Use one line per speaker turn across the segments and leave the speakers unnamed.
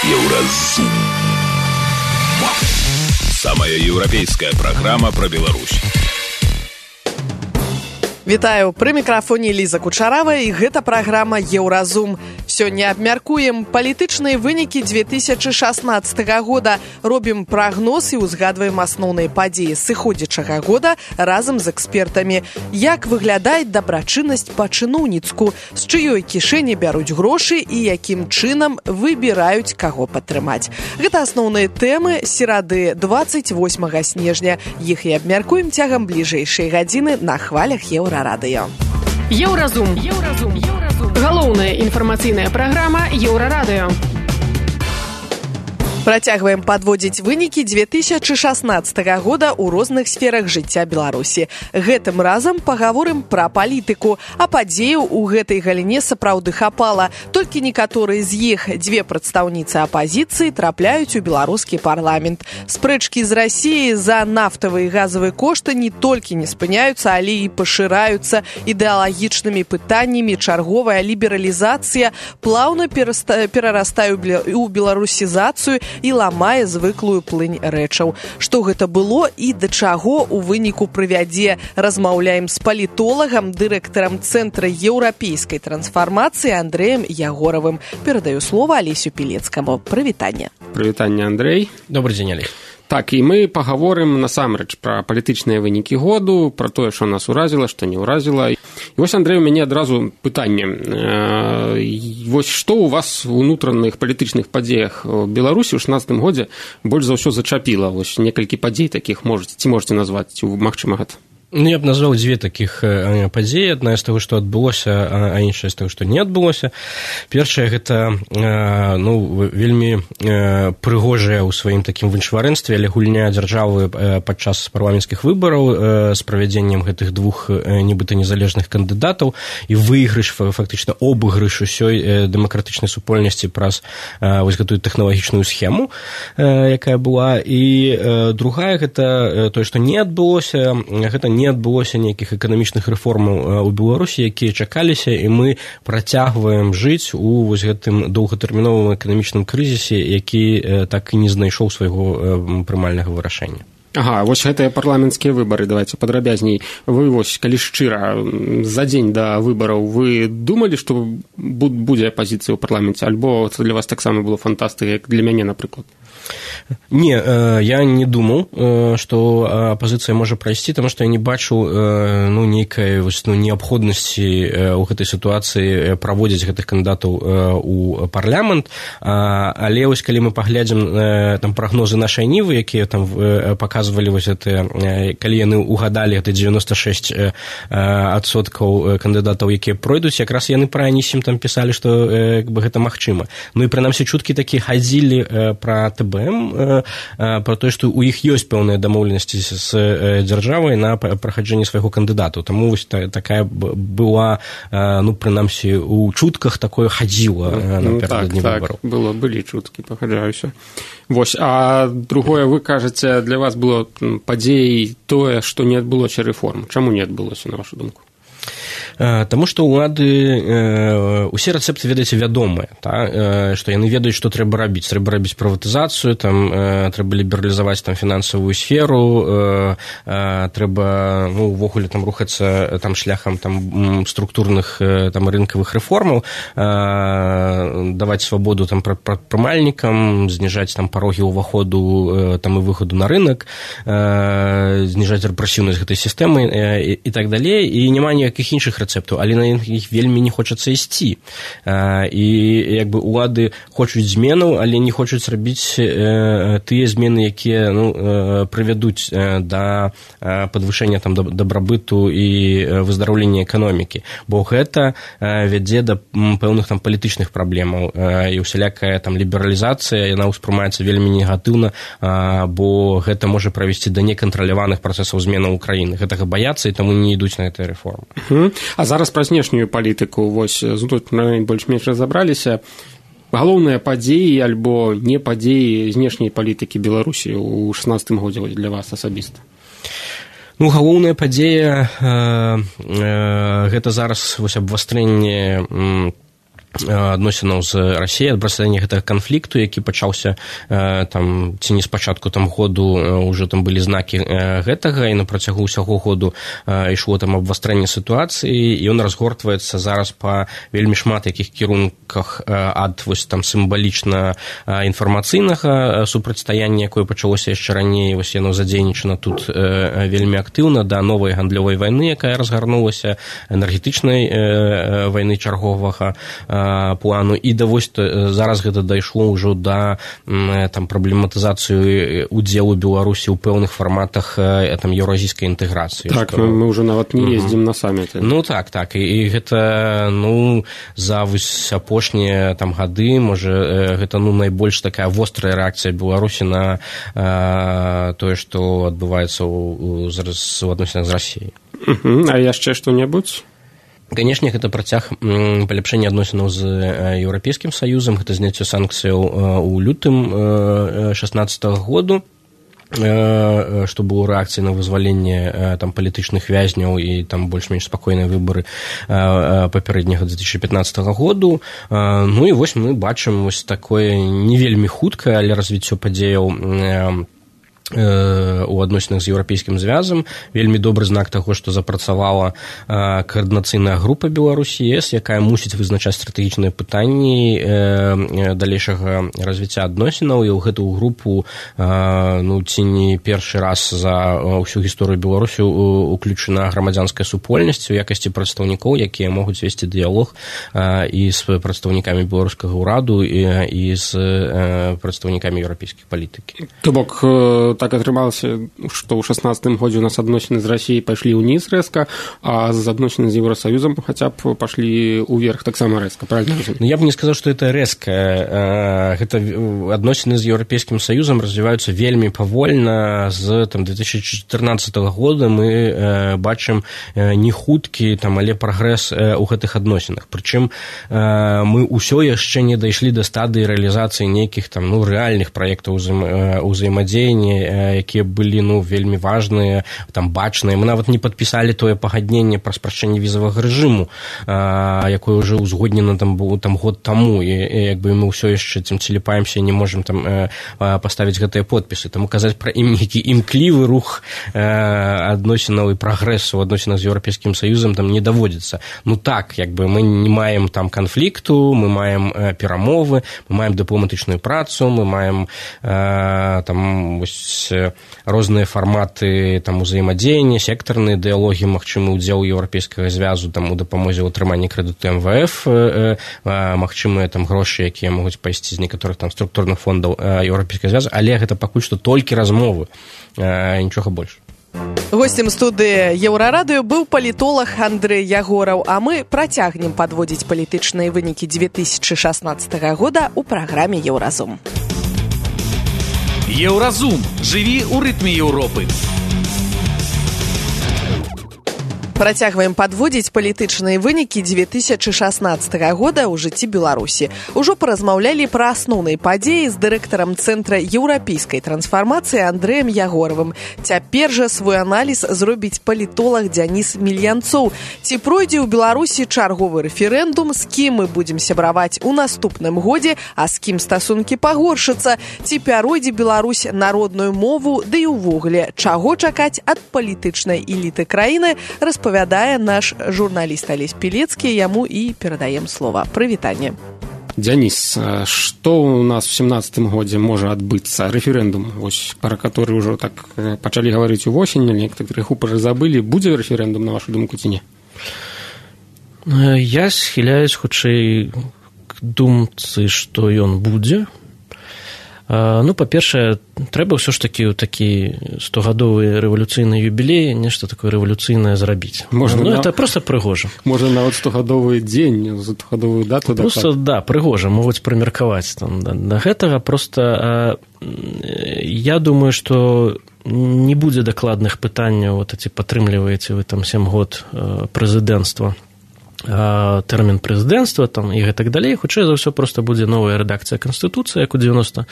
Еўразум. Самая еўрапейская праграма пра Беларусь.
Вітаю, пры мікрафоне Ліза Кучарава, і гэта праграма «Еўразум». Сёння абмяркуем палітычныя вынікі 2016 года, робім прагноз і ўзгадваем асноўныя падзеі сыходзячага года разам з экспертамі. Як выглядае дабрачыннасць па-чыноўніцку, з чыёй кішэні бяруць грошы і якім чынам выбіраюць, каго падтрымаць. Гэта асноўныя тэмы серады 28 снежня. Іх і абмяркуем цягам бліжэйшай гадзіны на хвалях Еўрарадыё.
Еўразум. Галоўная інфармацыйная праграма Еўрарадыё.
Працягваем падводзіць вынікі 2016 года ў розных сферах жыцця Беларусі. Гэтым разам пагаворым пра палітыку, а падзеяў у гэтай галіне сапраўды хапала. Толькі некаторыя з іх, дзве прадстаўніцы апазіцыі, трапляюць у беларускі парламент. Спрэчкі з Расіяй за нафтавыя і газавыя кошты не толькі не спыняюцца, але і пашыраюцца ідэалагічнымі пытаннямі. Чарговая лібералізацыя плаўна перарастае ў беларусізацыю і ламае звыклую плынь рэчаў. Што гэта было і да чаго ў выніку прывядзе, размаўляем з палітолагам, дырэктарам Цэнтра еўрапейскай трансфармацыі Андрэем Ягоравым. Перадаю слова Алесю Пілецкаму. Прывітанне.
Прывітанне, Андрэй.
Добрый дзень, Алесь.
Так, і мы пагаворым насамрэч пра палітычныя вынікі году, пра тое, што нас уразіла, што не ўразіла. І вось, Андрэй, у мяне адразу пытанне. Вось што ў вас у унутраных палітычных падзеях у Беларусі ў 16 годзе больш за ўсё зачапіла? Вось некалькі падзей такіх ці можаце назваць, ці магчыма гэта?
Ну, я б назваў дзве такіх падзеі. Адна з таго, што адбылося, а іншая з таго, што не адбылося. Першае, гэта вельмі прыгожая ў сваім такім віншварэнстве, але гульня дзяржавы падчас парламенцкіх выбараў з правядзеннем гэтых двух нібыта незалежных кандыдатаў і выйгрыш, фактычна обыгрыш усёй дэмакратычнай супольнасці праз вось гэтую тэхналагічную схему, якая была. І другая, гэта тое, што не адбылося, гэта не адбылося нейкіх эканамічных рэформаў у Беларусі, якія чакаліся, і мы працягваем жыць у вось гэтым доўгатэрміновым эканамічным крызісе, які так і не знайшоў свайго прымальнага вырашэння.
Ага, вось гэтыя парламенцкія выбары, давайте падрабязней. Вы вось, калі шчыра, за дзень да выбараў вы думалі, што будзе апазіцыя ў парламенце, альбо для вас таксама было фантастыка, як для мяне, напрыклад?
Не, я не думаў, што апазіцыя можа прайсці, таму што я не бачу нейкай неабходнасці ў гэтай сітуацыі праводзіць гэтых кандыдатаў у парламент, але вось калі мы паглядзім там прагнозы нашай Нівы, якія там паказвалі вось гэтыя, калі яны угадалі гэта 96% кандыдатаў, якія пройдуць, якраз яны пра анісім там пісалі, што гэта магчыма. Ну і прынамсі чуткі такі хадзілі пра ТБМ, пра тое, што ў іх ёсць пэўныя дамоўленасці з дзяржавай на праходжанне свайго кандыдату. Таму вось такая была, прынамсі, у чутках такое хадзіла напярэдадні выбараў.
Так, былі чуткі, пагаджаюся. Вось, а другое, вы кажаце, для вас было падзеяй тое, што не адбылося рэформ. Чаму не адбылося, на вашу думку?
Таму што ўлады, усе рэцэпты, ведаеце, вядомыя, што яны ведаюць, што трэба рабіць. Трэба рабіць прыватызацыю, трэба лібералізаваць фінансавую сферу, трэба увогуле рухацца шляхам структурных рынкавых рэформаў, даваць свабоду прадпрымальнікам, зніжаць парогі ўваходу і выхаду на рынак, зніжаць рэпрэсіўнасць гэтай сістэмы і так далей. І няма ніякіх іншых рэцэптаў, але на іх вельмі не хочацца ісці. І улады хочуць зменаў, але не хочуць рабіць тыя змены, якія прывядуць да падвышэння дабрабыту і выздараўлення эканомікі. Бо гэта вядзе да пэўных палітычных праблемаў. І усялякая лібералізацыя, яна ўспрымаецца вельмі негатыўна, бо гэта можа правесці да некантраляваных працэсаў зменаў краіны. Гэтага баяцца, і таму не ідуць на гэтыя рэформы.
А зараз пра знешнюю палітыку, вось, тут мы больш-менш разабраліся. Галоўныя падзеі альбо не падзеі знешняй палітыкі Беларусі ў 16 годзе для вас асабіста?
Галоўная падзея гэта зараз абвастрэнне адносінаў з Расіяй, ад працягнення гэтага канфлікту, які пачаўся там ці не спачатку там году, ўжо там былі знакі гэтага, і на працягу ўсяго году ішло там абвастрэнне сітуацыі, і ён разгортваецца зараз па вельмі шмат якіх кірунках, ад вось там сімвалічна інфармацыйнага супрацьстаяння, якое пачалося яшчэ раней, вось яно задзейнічана тут вельмі актыўна, да новай гандлёвай вайны, якая разгарнулася, энергетычнай вайны чарговага плану, і да вось зараз гэта дайшло ўжо да там праблематызацыю удзелу Беларусі ў пэўных фарматах там еўразійскай інтэграцыі.
Так, мы ўжо нават не ездзім на саміты.
Ну так, і гэта за вось апошнія там гады, можа, гэта найбольш такая вострая рэакцыя Беларусі на тое, што адбываецца ў адносінах з Расіяй.
А яшчэ што-небудзь?
Канешне, гэта працяг паляпшэння адносінаў з Еўрапейскім Саюзам, гэта зняцце санкцыяў у лютым 2016 году, што было рэакцыяй на вызваленне там палітычных вязняў і там больш-менш спакойныя выбары папярэдняга 2015 году. Ну і вось мы бачым вось такое не вельмі хуткае, але развіццё падзеяў у адносінах з еўрапейскім звязам. Вельмі добры знак таго, што запрацавала каардынацыйная група Беларусі ЕС, якая мусіць вызначаць стратэгічныя пытанні далейшага развіцця адносінаў, і ў гэтую групу ці не першы раз за ўсю гісторыю Беларусі уключана грамадзянская супольнасць у якасці прадстаўнікоў, якія могуць весці дыялог і з прадстаўнікамі беларускага ўраду і з прадстаўнікамі еўрапейскай палітыкі.
То бок так атрымалася, што ў 16 годзе у нас адносіны з Расіяй пайшлі ўніз рэзка, а з адносіны з Еўрасаюзам хаця б пашлі ўверх таксама рэзка, правильно?
Я б не сказаў, што гэта рэзка. Гэта адносіны з Еўрапейскім Саюзам развіваюцца вельмі павольна. З 2014 года мы бачым не хуткі, але прагрэс у гэтых адносінах. Прычым мы ўсё яшчэ не дайшлі да стадыі рэалізацыі нейкіх рэальных праектаў узаемадзеяння, якія былі вельмі важныя, бачныя. Мы нават не падпісалі тое пагадненне пра спрашчэнне візавага рэжыму, якое ўжо ўзгоднена год таму, і мы ўсё яшчэ целіпаемся і не можам паставіць гэтыя подпісы. Таму казаць пра нейкі імклівы рух адносінаў і прагрэсу ў адносінах з Еўрапейскім Саюзам не даводзіцца. Так, мы не маем канфлікту, мы маем перамовы, мы маем дыпламатычную працу, мы маем розныя фарматы узаемадзеяння, сектарныя дыялогі, магчымы ўдзел еўрапейскага звязу у дапамозе ў атрыманні крэдыту МВФ, магчымыя грошы, якія могуць пайсці з некаторых структурных фондаў еўрапейскага звязу, але гэта пакуль што толькі размовы, нічога больш.
Гостем студыі Еўрарадыё быў палітолог Андрэй Ягораў, а мы працягнем падводзіць палітычныя вынікі 2016 года ў праграме «Еўразум».
Еўразум. Жыві ў рытме Еўропы.
Працягваем падводзіць палітычныя вынікі 2016 года ў жыцці Беларусі. Ужо паразмаўлялі пра асноўныя падзеі з дырэктарам Цэнтра еўрапейскай трансфармацыі Андрэем Ягоравым. Цяпер жа свой аналіз зробіць палітолог Дзяніс Мільянцоў. Ці пройдзе ў Беларусі чарговы рэферэндум, з кім мы будзем сябраваць у наступным годзе, а з кім стасункі пагоршацца, ці пяройдзе Беларусь народную мову, ды і ўвогуле, чаго чакаць ад палітычнай эліты краіны, распавядае наш журналіст Алесь Пілецкі, яму і перадаем слова. Прывітанне.
Дзяніс, што ў нас у 17 годзе можа адбыцца? Рэферэндум, пра который ўжо так пачалі гаварыць увосень, некаторыя крыху забылі. Будзе рэферэндум, на вашу думку, ці не?
Я схіляюсь хутчэй к думцы, што ён будзе. Па-першае, трэба ўсё ж такі ў такі 100-гадовы рэвалюцыйны юбілей нешта такое рэвалюцыйнае зрабіць. Это проста прыгожа.
Можа, нават 100-гадовы дзень, 100-гадовую дату.
Проста, прыгожа, могуць прымеркаваць да гэтага. Проста я думаю, што не будзе дакладных пытанняў, ці падтрымліваеце вы 7 год прэзідэнцтва, тэрмін прэзідэнцтва і гэтак далей. Хутчэй за ўсё проста будзе новая рэдакцыя Канстытуцыі, як у 96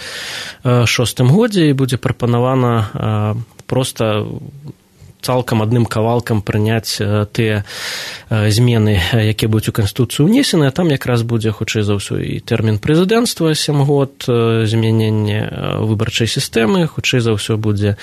годзе, і будзе прапанавана проста цалкам адным кавалкам прыняць тыя змены, якія будуць у Канстытуцыю ўнесены, а там якраз будзе, хутчэй за ўсё, і тэрмін прэзідэнцтва 7 год, змяненне выбарчай сістэмы, хутчэй за ўсё будзе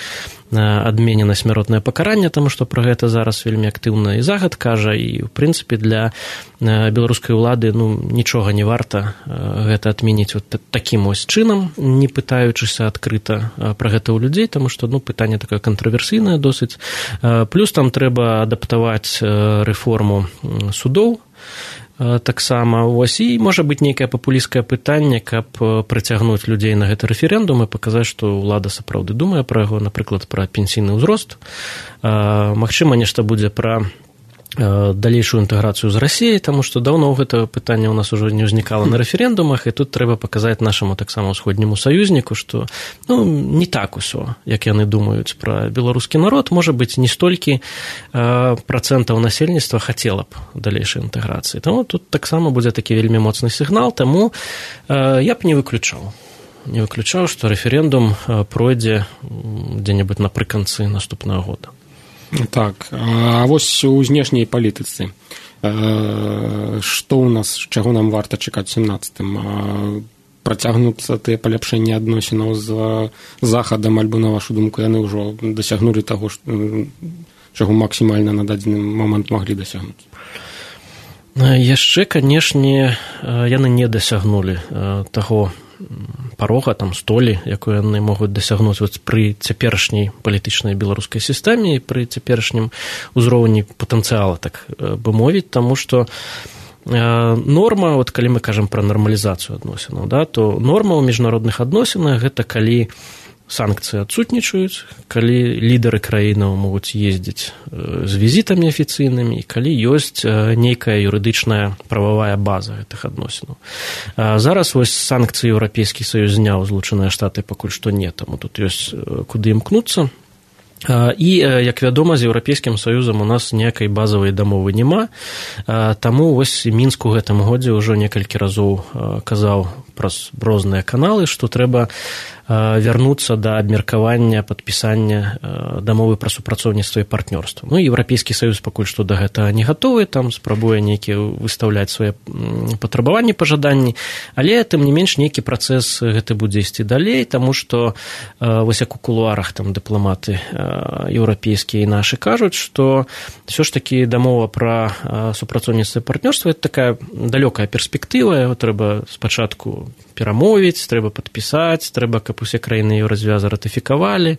адменена смяротнае пакаранне, таму што пра гэта зараз вельмі актыўна і загад кажа, і, ў прынцыпе, для беларускай улады нічога не варта гэта адменіць вот такім ось чынам, не пытаючыся адкрыта пра гэта ў людзей, таму што пытанне такое кантраверсійнае досыць. Плюс там трэба адаптаваць рэформу судоў, таксама вось, і можа быць нейкае папулісцкае пытанне, каб прыцягнуць людзей на гэты рэферэндум і паказаць, што ўлада сапраўды думае пра яго, напрыклад, пра пенсійны ўзрост. Магчыма, нешта будзе пра далейшую інтэграцыю з Расіяй, таму што даўно гэта пытанне ў нас ужо не ўзнікала на рэферэндумах, і тут трэба паказаць нашаму таксама ўсходняму саюзніку, што не так усё, як яны думаюць пра беларускі народ. Можа быць, не столькі працэнтаў насельніцтва хацела б далейшай інтэграцыі. Таму тут таксама будзе такі вельмі моцны сігнал, таму я б не выключаў, што рэферэндум пройдзе дзе-небудзь напрыканцы наступнага года.
Так, а вось у знешняй палітыцы што ў нас, чаго нам варта чакаць у 17-м? Працягнуцца тыя паляпшэнні адносінаў з захадам, альбо, на вашу думку, яны ўжо дасягнулі таго, чаго максімальна на дадзены момант маглі дасягнуць?
Яшчэ, канешне, яны не дасягнулі таго парога, там, столі, якую яны могуць дасягнуць пры цяперашняй палітычнай беларускай сістэме і пры цяперашнім узроўні патэнцыяла, так бы мовіць, таму што норма, калі мы кажам пра нармалізацыю адносінаў, то норма ў міжнародных адносінах гэта калі санкцыі адсутнічаюць, калі лідары краінаў могуць ездзіць з візітамі афіцыйнымі, і калі ёсць нейкая юрыдычная прававая база гэтых адносінаў. Зараз вось санкцыі Еўрапейскі Саюз зняў, Злучаныя Штаты пакуль што не, таму тут ёсць куды імкнуцца. І, як вядома, з Еўрапейскім Саюзам у нас ніякай базавай дамовы няма, таму вось Мінск у гэтым годзе ўжо некалькі разоў казаў праз розныя каналы, што трэба вярнуцца да абмеркавання падпісання дамовы пра супрацоўніцтва і партнёрства. Еўрапейскі Саюз пакуль што да гэтага не гатовы, там спрабуе нейкія выстаўляць свае патрабаванні, пажаданні, але тым не менш нейкі працэс гэты будзе ісці далей, таму што вось як у кулуарах там дыпламаты еўрапейскія і нашы кажуць, што ўсё ж такі дамова пра супрацоўніцтва і партнёрства это такая далёкая перспектыва, яго трэба спачатку перамовіць, трэба падпісаць, трэба, каб усе краіны еўразвяза ратыфікавалі.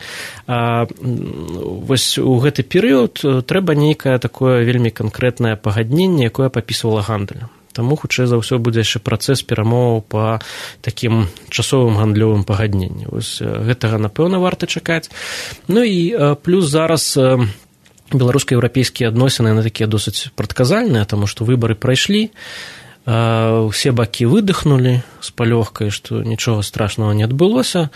Вось у гэты перыяд трэба нейкае такое вельмі канкрэтнае пагадненне, якое папісвала гандаль. Таму, хутчэй за ўсё, будзе яшчэ працэс перамоваў па такім часовым гандлёвым пагадненні. Вось гэтага, напэўна, варта чакаць. І плюс зараз беларуска-еўрапейскія адносіны, яны такія досыць прадказальныя, таму што выбары прайшлі, усе бакі выдыхнулі з палёгкай, што нічога страшнага не адбылося.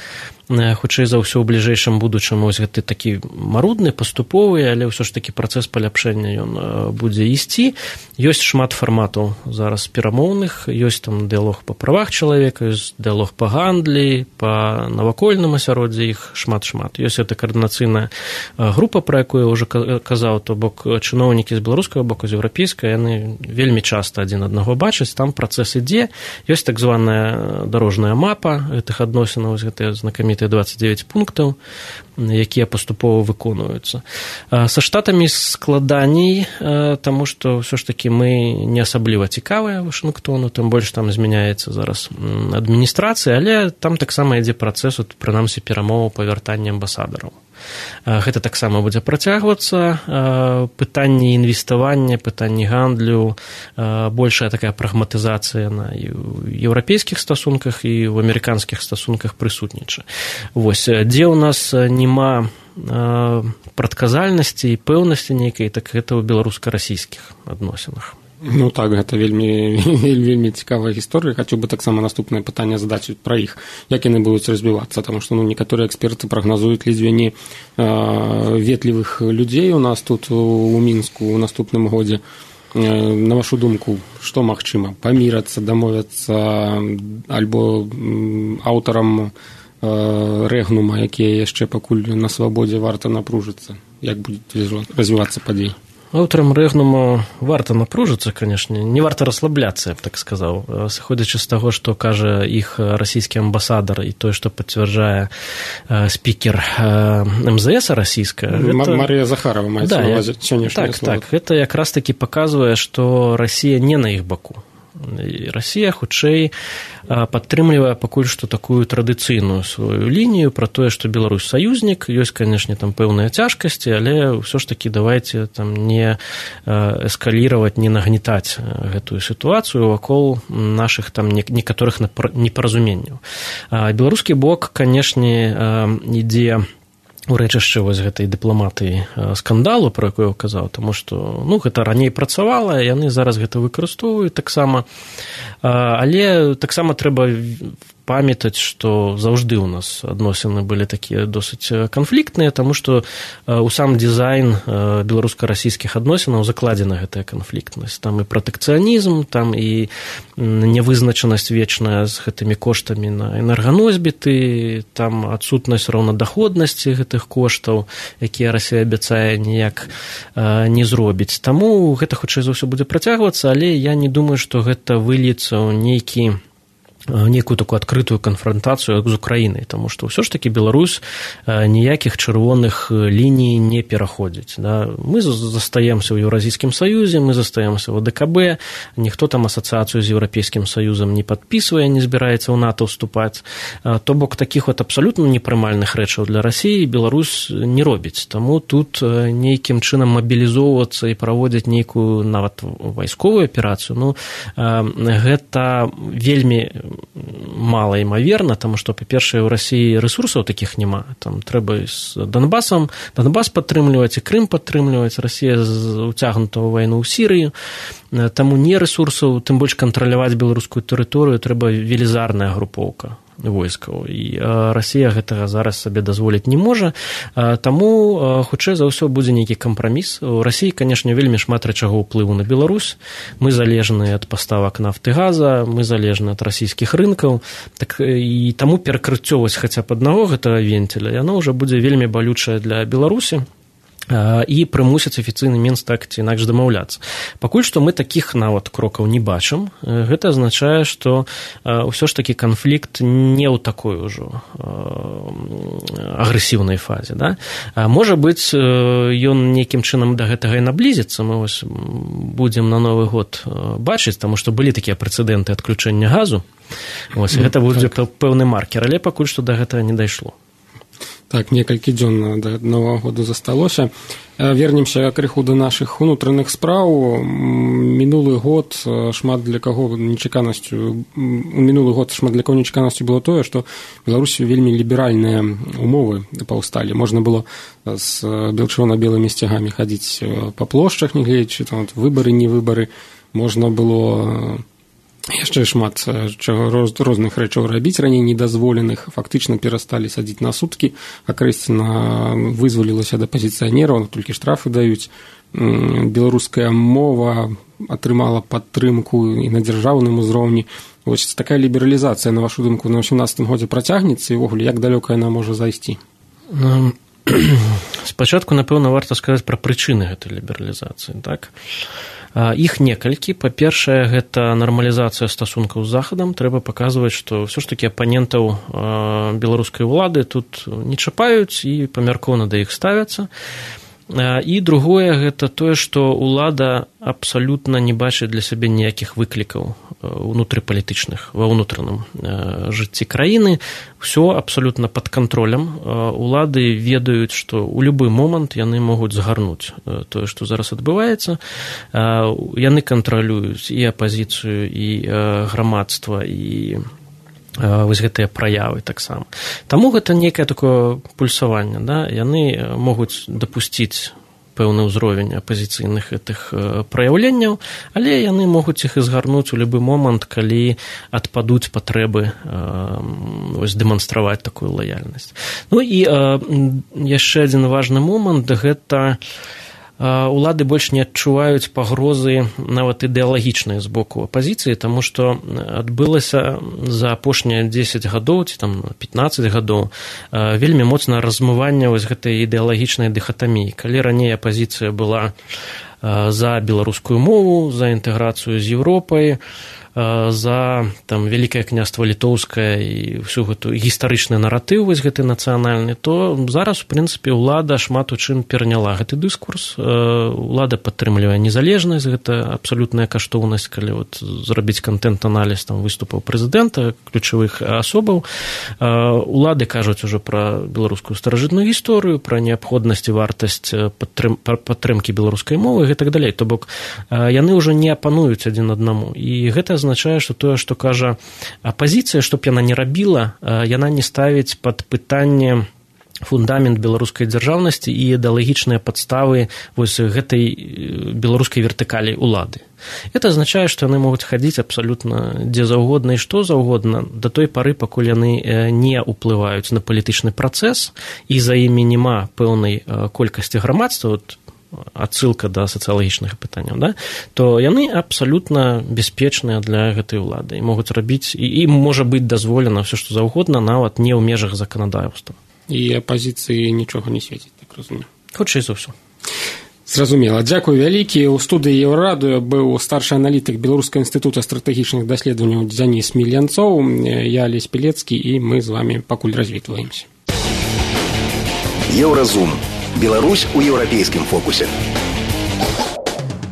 Хутчэй за ўсё, у бліжэйшым будучым вось гэты такі марудны, паступовы, але ўсё ж такі працэс паляпшэння ён будзе ісці. Ёсць шмат фарматаў зараз перамоўных, ёсць там дыялог па правах чалавека, ёсць дыялог па гандлі, па навакольным асяроддзі, іх шмат-шмат. Ёсць гэта каардынацыйная група, пра якую я ўжо казаў, то бок чыноўнікі з беларускага боку, з еўрапейскага, яны вельмі часта адзін аднаго бачаць, там працэс ідзе. Ёсць так званая дарожная мапа гэтых адносінаў, гэтыя знакамітыя 29 пунктаў, якія паступова выконваюцца. Са штатамі складаней, таму што ўсё ж такі мы не асабліва цікавыя Вашынгтону, тым больш там змяняецца зараз адміністрацыя, але там таксама ідзе працэс, прынамсі, перамоваў па вяртанні амбасадараў. Гэта таксама будзе працягвацца. Пытанні інвеставання, пытанні гандлю, большая такая прагматызацыя на еўрапейскіх стасунках і ў амерыканскіх стасунках прысутнічае. Вось, дзе ў нас няма прадказальнасці і пэўнасці нейкай, так гэта ў беларуска-расійскіх адносінах.
Так, гэта вельмі цікавая гісторыя. Хачу бы таксама наступнае пытанне задаць пра іх. Як яны будуць развівацца? Таму што некаторыя эксперты прагназуюць ледзьве не ветлівых людзей у нас тут у Мінску ў наступным годзе. На вашу думку, што магчыма? Памірацца, дамовяцца, альбо аўтарам рэгнума, якія яшчэ пакуль на свабодзе, варта напружыцца? як будзе развівацца падзей?
Аўтарам рэгнуму варта напружыцца, канешне, не варта расслабляцца, я б так сказаў. Сыходзячы з таго, што кажа іх расійскі амбасадар і тое, што пацвярджае спікер МЗС расійская...
Марія Захарова маецца на ўвазе сённяшняе слова.
Так, гэта якраз такі паказвае, што Расія не на іх баку. І Расія, хутчэй, падтрымлівае пакуль што такую традыцыйную сваю лінію пра тое, што Беларусь саюзнік, ёсць, канешне, там пэўныя цяжкасці, але ўсё ж такі давайце там не эскаліраваць, не нагнетаць гэтую сітуацыю вакол нашых там некаторых непаразуменняў. Беларускі бок, канешне, ідзе у рэчышча вось гэтай дыпламатыі скандалу, про якую я казаў, таму што гэта раней працавала, яны зараз гэта выкарыстоўваюць таксама, але таксама трэба памятаць, што заўжды ў нас адносіны былі такія досыць канфліктныя, таму што ў сам дызайн беларуска-расійскіх адносінаў закладзена гэтая канфліктнасць. Там і пратэкцыянізм, там і нявызначанасць вечная з гэтымі коштамі на энерганосьбіты, там адсутнасць раўнадаходнасці гэтых коштаў, якія Расія абяцае ніяк не зробіць. Таму гэта хутчэй за ўсё будзе працягвацца, але я не думаю, што гэта выльецца ў некую такую адкрытую канфрантацыю з Украінай, таму што ўсё ж такі Беларусь ніякіх чырвоных ліній не пераходзіць. Да? Мы застаемся ў Еўразійскім саюзе, мы застаемся ў АДКБ, ніхто там асацыяцыю з Еўрапейскім саюзам не падпісвае, не збіраецца ў НАТО ўступаць. То бок такіх абсалютна непрымальных рэчаў для Расіі Беларусь не робіць. Таму тут нейкім чынам мабілізоўвацца і праводзіць нейкую нават вайсковую аперацыю, гэта вельмі мала імаверна, таму што, па-першае, у Расіі рэсурсаў такіх няма. Там трэба з Донбас падтрымліваць і Крым падтрымліваць. Расія уцягнута ў вайну ў Сірыю. Таму не рэсурсаў, тым больш кантраляваць беларускую тэрыторыю трэба велізарная групоўка войскаў. І Расія гэтага зараз сабе дазволіць не можа. Таму, хутчэй за ўсё, будзе нейкі кампраміс. У Расіі, канешне, вельмі шмат рэчаго ўплыву на Беларусь. Мы залежныя ад паставак нафты, газа, мы залежны ад расійскіх рынкаў. Так, і таму перакрыццё хаця б аднаго гэтага венціля, яно ўжо будзе вельмі балючае для Беларусі і прымусіць афіцыйны Мінск так ці інакш дамаўляцца. Пакуль што мы такіх нават крокаў не бачым. Гэта азначае, што ўсё ж такі канфлікт не ў такой ужо агрэсіўнай фазе. Да? Можа быць, ён нейкім чынам да гэтага і наблізіцца. Мы будзем на Новы год бачыць, таму што былі такія прэцэдэнты адключэння газу. Гэта будзе пэўны маркер, але пакуль што да гэтага не дайшло.
Так, некалькі дзён да Новага году засталося. Вернемся крыху да нашых унутраных спраў. Мінулы год шмат для каго нечаканасцю было тое, што Беларусі вельмі ліберальныя умовы паўсталі. Можна было з чырвона-белымі сцягамі хадзіць па плошчах, не гледзячы там выбары, не выбары. Можна было яшчэ шмат розных рэчаў рабіць, раней недазволеных, фактычна перасталі садзіць на суткі, акрэсціна вызвалілася ад апазіцыянераў, толькі штрафы даюць. Беларуская мова атрымала падтрымку і на дзяржаўным узроўні. Вось такая лібералізацыя, на вашу думку, на 18 годзе працягнецца, і ўвогуле, як далёка яна можа зайсці?
Спачатку, напэўна, варта сказаць пра прычыны гэтай лібералізацыі, так? Іх некалькі. Па-першае, гэта нармалізацыя стасункаў з Захадам. Трэба паказваць, што ўсё ж такі апанентаў беларускай улады тут не чапаюць і памяркоўна да іх ставяцца. І другое, гэта тое, што ўлада абсалютна не бачыць для сябе ніякіх выклікаў унутрыпалітычных ва ўнутраным жыцці краіны. Усё абсалютна пад кантролем. Улады ведаюць, што ў любы момант яны могуць згарнуць тое, што зараз адбываецца. Яны кантралююць і апазіцыю, і грамадства, і вось гэтыя праявы таксама. Таму гэта нейкае такое пульсаванне. Да? Яны могуць дапусціць пэўны ўзровень апазіцыйных гэтых праяўленняў, але яны могуць іх і згарнуць у любы момант, калі адпадуць патрэбы дэманстраваць такую лаяльнасць. Ну і яшчэ адзін важны момант, гэта улады больш не адчуваюць пагрозы нават ідэалагічнай з боку апазіцыі, таму што адбылася за апошнія 10 гадоў ці там 15 гадоў вельмі моцнае размыванне вось гэтай ідэалагічнай дыхатаміі. Калі раней апазіцыя была за беларускую мову, за інтэграцыю з Еўропай, за там Вялікае княства Літоўскае і всю гэту гістарычны наратыў вось гэты нацыянальны, то зараз, у прынцыпе, улада шмат у чым пераняла гэты дыскурс. Улада падтрымлівае незалежнасць, гэта абсалютная каштоўнасць, калі вот зрабіць кантэнт-аналіз там выступаў прэзідэнта, ключавых асобаў. Улады кажуць ужо пра беларускую старажытную гісторыю, пра неабходнасць і вартасць падтрымкі беларускай мовы і так далей. То бок яны ўжо не апануюць адзін аднаму. І гэта азначае, што тое, што кажа апазіцыя, што б яна не рабіла, яна не ставіць пад пытанне фундамент беларускай дзяржаўнасці і ідэалагічныя падставы вось гэтай беларускай вертыкалі улады. Это азначае, што яны могуць хадзіць абсалютна дзе заўгодна і што заўгодна да той пары, пакуль яны не ўплываюць на палітычны працэс і за імі няма пэўнай колькасці грамадства, адсылка да сацыялагічных пытанняў, да? То яны абсалютна бяспечныя для гэтай улады і могуць рабіць, і ім можа быць дазволена ўсё, што заўгодна, нават не ў межах заканадаўства.
І апазіцыі нічога не свеціць, так разумею.
Хутчэй за ўсё.
Зразумела. Дзякуй вялікі. У студыі Еўрарадыё быў старшы аналітык Беларускага інстытута стратэгічных даследаванняў Дзяніс Мільянцоў, я Алесь Пілецкі, і мы з вамі пакуль развітваемся.
Еўразум. Беларусь у еўрапейскім фокусе.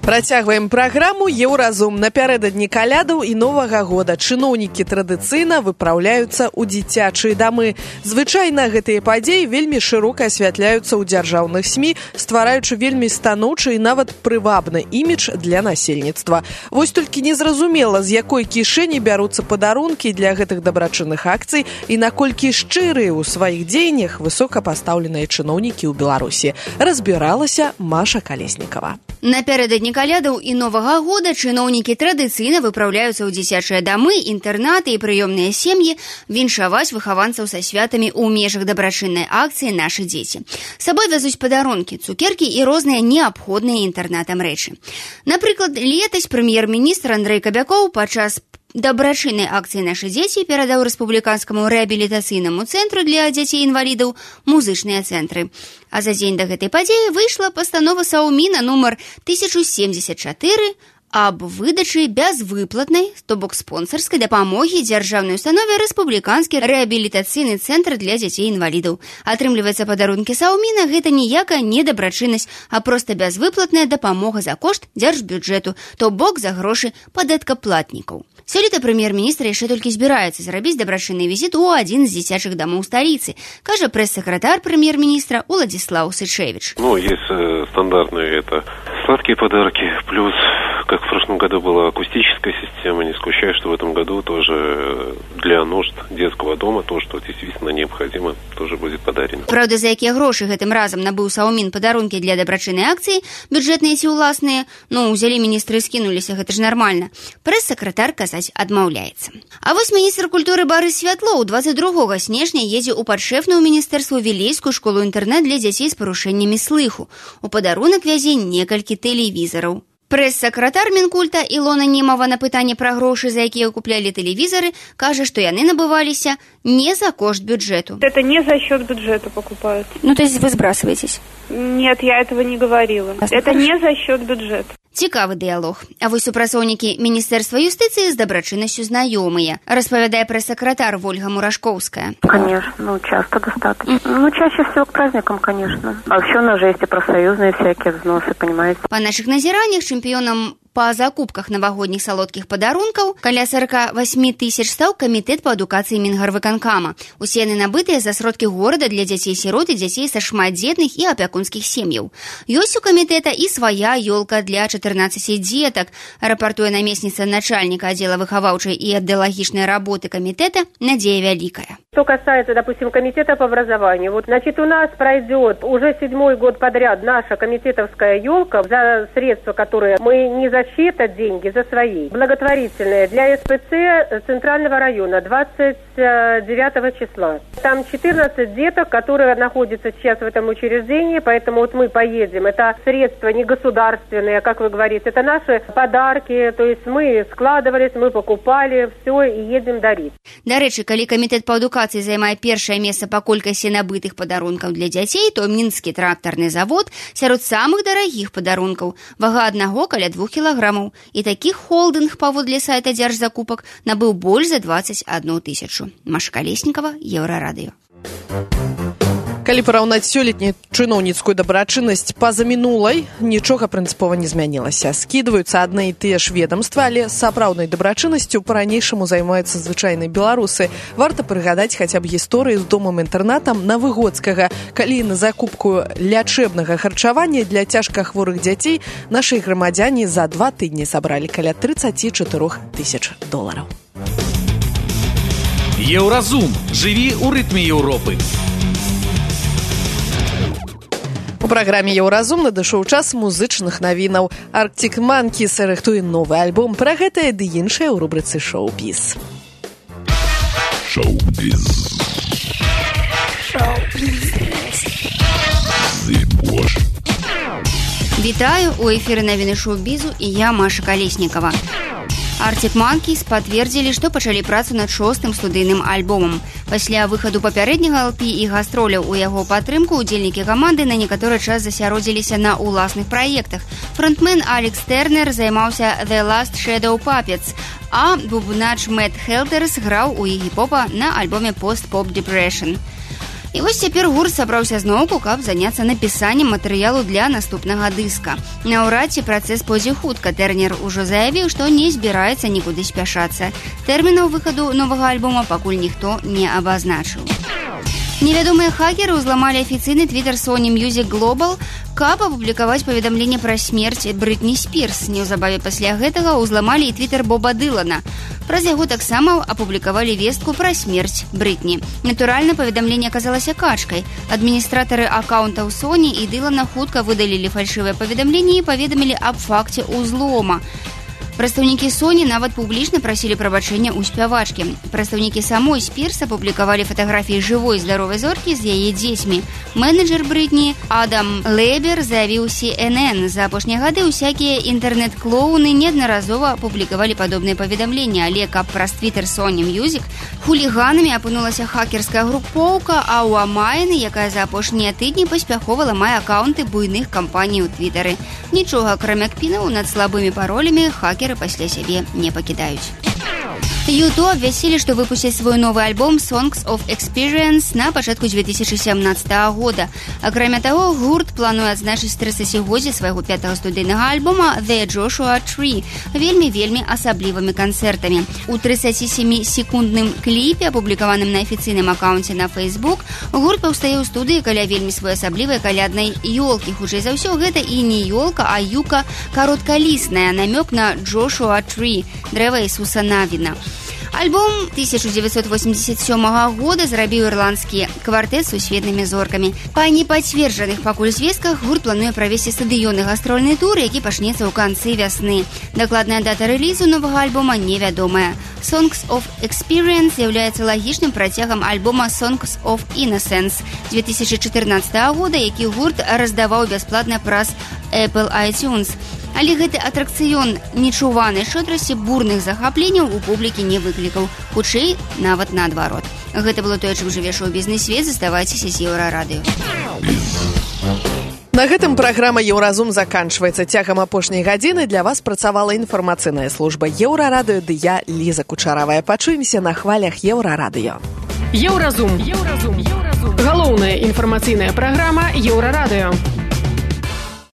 Працягваем праграму «Еўразум». Напярэдадні калядаў і Новага года чыноўнікі традыцыйна выпраўляюцца ў дзіцячыя дамы. Звычайна гэтыя падзеі вельмі шырока асвятляюцца ў дзяржаўных СМІ, ствараючы вельмі станоўчы і нават прывабны імідж для насельніцтва. Вось толькі незразумела, з якой кішэні бяруцца падарункі для гэтых дабрачынных акцый і наколькі шчырыя ў сваіх дзеяннях высокапастаўленыя чыноўнікі ў Беларусі. Разбіралася Маша Калеснікава.
Напярэдадні калядаў і Новага года чыноўнікі традыцыйна выпраўляюцца ў дзіцячыя дамы, інтэрнаты і прыёмныя сем'і віншаваць выхаванцаў са святамі ў межах дабрачыннай акцыі «Нашы дзеці». З сабой вязуць падарункі, цукеркі і розныя неабходныя інтэрнатам рэчы. Напрыклад, летась прэм'ер-міністр Андрэй Кабякоў падчас дабрачыннай акцыі «Нашы дзеці» перадаў рэспубліканскаму рэабілітацыйнаму цэнтру для дзяцей-інвалідаў музычныя цэнтры. А за дзень да гэтай падзеі выйшла пастанова Саўміна нумар 1074 аб выдачы бязвыплатнай, то бок спонсарскай дапамогі дзяржаўнай установе рэспубліканскі рэабілітацыйны цэнтр для дзяцей-інвалідаў. Атрымліваецца, падарункі Саўміна гэта ніякая не дабрачыннасць, а проста бязвыплатная дапамога за кошт дзяржбюджэту, то бок за грошы падаткаплатнікаў. Сёлета прэм'ер-міністр яшчэ толькі збіраецца зрабіць дабрачынны візіт у адзін з дзіцячых дамоў сталіцы, кажа прэс-сакратар прэм'ер-міністра Уладзіслаў Сычевич.
Есть стандартные, это сладкие подарки, плюс, как в прошлом году была акустическая система, не исключаю, что в этом году тоже для нужд детского дома то, что действительно необходимо, тоже будет подарено.
Правда, за якія грошы гэтым разам набыў Саўмін падарункі для дабрачыннай акцыі, бюджэтныя ці ўласныя, узялі міністры і скінуліся, гэта ж нармальна. Прэс-сакратар казаць адмаўляецца. А вось міністр культуры Барыс Святлоў 22 снежня едзе ў падшэфную міністэрству Вілейскую школу-інтэрнат для дзяцей з парушэннямі слыху. У падарунак вязе некалькі тэлевізараў. Прэс-сакратар Мінкульта Ілона Немава на пытанне пра грошы, за якія куплялі тэлевізары, кажа, што яны набываліся не за кошт бюджету.
Это не за счет бюджета покупают.
То есть вы сбрасываетесь?
Нет, я этого не говорила. Это не за счет бюджета.
Цікавы дыялог. А вось супрацоўнікі Міністэрства юстыцыі з дабрачыннасцю знаёмыя, распавядае прэс-сакратар Вольга Мурашкоўская.
Конечно, часто достаточно. Чаще всего к праздникам, конечно. А еще у нас же есть и профсоюзные всякие взносы, понимаете.
Па нашых назіраннях чэмпіёнам па закупках навагодніх салодкіх падарункаў каля 48 тысяч стаў камітэт па адукацыі Мінгарвыканкама. Усе яны набытыя за сродкі горада для дзяцей-сірот і дзяцей са шматдзетных і апякунскіх сем'яў. Ёсць у камітэта і свая ёлка для 14 дзетак, рапартуе намесніца начальніка аддзела выхаваўчай і ідэалагічнай работы камітэта Надзея Вялікая.
Что касается, допустим, комитета по образованию, вот, значит, у нас пройдет уже 7-й год подряд наша комитетовская елка за средства, которые мы не за чьи-то деньги, за свои. Благотворительные для СПЦ Центрального района 29 числа. Там 14 деток, которые находятся сейчас в этом учреждении, поэтому вот мы поедем. Это средства не государственные, как вы говорите, это наши подарки, то есть мы складывались, мы покупали, все, и едем дарить.
До речі, коли комітет по адукації займає першае месца па колькасці набытых падарункаў для дзяцей, то мінскі трактарны завод сярод самых дарагіх падарункаў. Вага аднаго каля 2 кілаграмаў. І такіх холдынг паводле сайта дзяржзакупак набыў больш за 21 тысячу. Маша Колеснікова, Еўрарадыё.
Калі параўнаць сёлетнюю чыноўніцкую дабрачыннасць пазамінулай, нічога прынцыпова не змянілася. Скідваюцца адны і тыя ж ведамствы, але сапраўднай дабрачыннасцю па-ранейшаму займаюцца звычайныя беларусы. Варта прыгадаць хаця б гісторыю з домам-інтэрнатам на Выгодскага, калі на закупку лячэбнага харчавання для цяжкахворых дзяцей нашы грамадзяне за 2 тыдні сабралі каля $34 тысяч.
Еўразум. Жыві ў рытме Еўропы.
У праграме «Еўразум» надышоў час музычных навінаў. Arctic Monkeys рыхтуе новы альбом. Пра гэтае ды іншае ў рубрыцы «Шоу-біз».
Шоу-біз.
Вітаю, у эфіры навіны шоу-бізу і я, Маша Колеснікова. Arctic Monkeys пацвердзілі, што пачалі працу над 6-м студыйным альбомам. Пасля выхаду папярэдняга LP і гастроляў у яго падтрымку удзельнікі каманды на некаторы час засяродзіліся на ўласных праектах. Фронтмен Алекс Тэрнер займаўся The Last Shadow Puppets, а бубнач Мэтт Хелтерс граў у ігі-попа на альбоме Post-Pop Depression. І вось цяпер гурт сабраўся зноўку, каб заняцца напісаннем матэрыялу для наступнага дыска. Наўрад ці працэс пойдзе хутка. Тэрнер ужо заявіў, што не збіраецца нікуды спяшацца. Тэрмінаў выхаду новага альбома пакуль ніхто не абазначыў. Невядомыя хакеры ўзламалі афіцыйны твітер Sony Music Global, каб апублікаваць паведамленне пра смерць Брытні Спірс. Неўзабаве пасля гэтага ўзламалі і твітер Боба Дылана. Праз яго таксама апублікавалі вестку пра смерць Брытні. Натуральна, паведамленне аказалася качкай. Адміністратары акаунтаў Sony і Дылана хутка выдалілі фальшывае паведамленне і паведамілі аб факце ўзлома. Прадстаўнікі Sony нават публічна прасілі прабачэння ў спявачкі. Прадстаўнікі самой Спірс апублікавалі фатаграфіі жывой здаровай зоркі з яе дзецьмі. Менеджер Брытні Адам Лебер заявіў CNN. За апошнія гады ўсякія інтэрнэт-клоуны неаднаразова публікавалі падобныя паведамленні, але каб праз твітер Sony Music хуліганамі апынулася хакерская групоўка, а ў Амайны, якая за апошнія тыдні паспяхова ламае акаунты буйных кампаній у твітары. Нічога, акрамя кпінаў над слабымі паролямі, хакеры пасля сябе не пакідаюць. YouTube абвясцілі, што выпусцяць свой новы альбом Songs of Experience на пачатку 2017 года. Акрамя таго, гурт плануе адзначыць 30-годдзе свайго 5-го студыйнага альбома The Joshua Tree вельмі асаблівымі канцэртамі. У 37-секундным кліпе, апублікаваным на афіцыйным акаунце на Facebook, гурт паўстае ў студыі каля вельмі своеасаблівай каляднай ёлкі. Хутчэй за ўсё, гэта і не ёлка, а юка кароткалісная, намёк на Joshua Tree, дрэва Ісуса Навіна. Альбом 1987 года зрабіў ірландскі квартэт з сусветнымі зоркамі. Па непацверджаных пакуль звестках гурт плануе правесці стадыённы гастрольны тур, які пачнецца ў канцы вясны. Дакладная дата рэлізу новага альбома невядомая. Songs of Experience з'яўляецца лагічным працягам альбома Songs of Innocence 2014 года, які гурт раздаваў бясплатна праз Apple iTunes. Але гэты атракцыён нечуванай шчодрасці бурных захапленняў у публікі не выклікаў. Хутчэй, нават наадварот. Гэта было тое, чым жыве шоу-бізнес-свет. Заставайцеся з Еўрарадыё.
На гэтым праграма «Еўразум» заканчваецца. Цягам апошняй гадзіны для вас працавала інфармацыйная служба Еўрарадыё, ды я, Ліза Кучаравая. Пачуемся на хвалях Еўрарадыё.
Еўразум. Галоўная інфармацыйная праграма Еўрарадыё.